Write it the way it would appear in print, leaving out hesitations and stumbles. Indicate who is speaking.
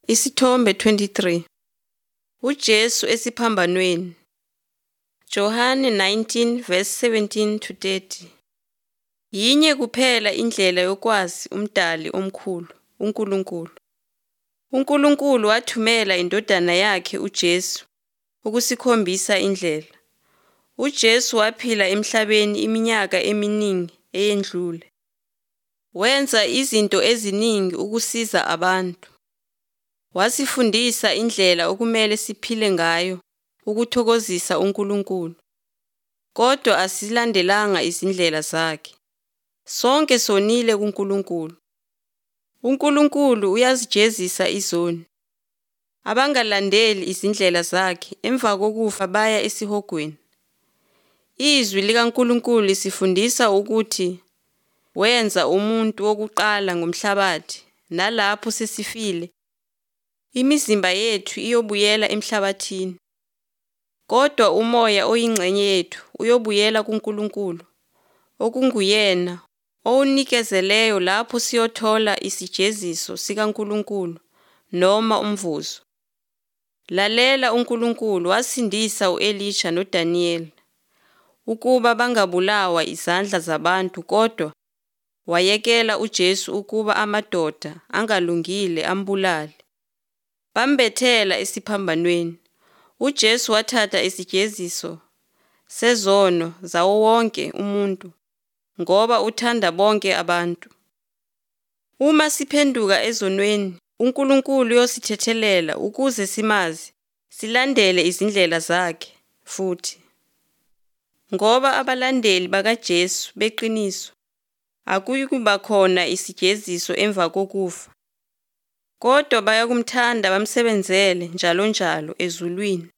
Speaker 1: Isithombe 23. UJesu esiphambanweni. Johane 19 verse 17 to 30. Yinye kuphela indlela yokwazi uMdali omkhulu, uNkulunkulu. UNkulunkulu wathumela indodana yakhe uJesu ukusikhombisa indlela. UJesu waphila emhlabeni iminyaka eminingi eyedlule. Wenza izinto eziningi ukusiza abantu. Wasifundisa indlela okumele siphile ngayo ukuthokozisa uNkulunkulu. Kodwa asilandelanga izindlela zakhe. Sonke sonile kuNkulunkulu. UNkulunkulu uyazijezisa izoni. Abangalandeli izindlela zakhe emva kokufa baya esihogweni. Izwi likaNkulunkulu lisifundisa ukuthi wenza umuntu wokuqala ngomhlabathi, nalapho sesifile imizimba yethu iyobuyela emhlabathini. Kodwa umoya oyingxenye yethu uyobuyela kuNkulunkulu, okunguyena owunikezeleyo, lapho siyothola isijeziso sikaNkulunkulu noma umvuzo. Lalela uNkulunkulu wasindisa uElisha noDaniyeli ukuba bangabulawa izandla zabantu, kodwa wayekela uJesu ukuba amadoda angalungile ambulale. Bambethela esiphambanweni. UJesu wathatha isijeziso sezono zawo wonke umuntu ngoba uthanda bonke abantu. Uma siphenduka ezonweni, uNkulunkulu uyosithethelela ukuze simazi, silandele izindlela zakhe futhi. Ngoba abalandeli bakaJesu beqiniso, akuyikuba khona isijeziso emva kokufa. Kodwa bayakumthanda bamsebenzele njalonjalo ezulwini.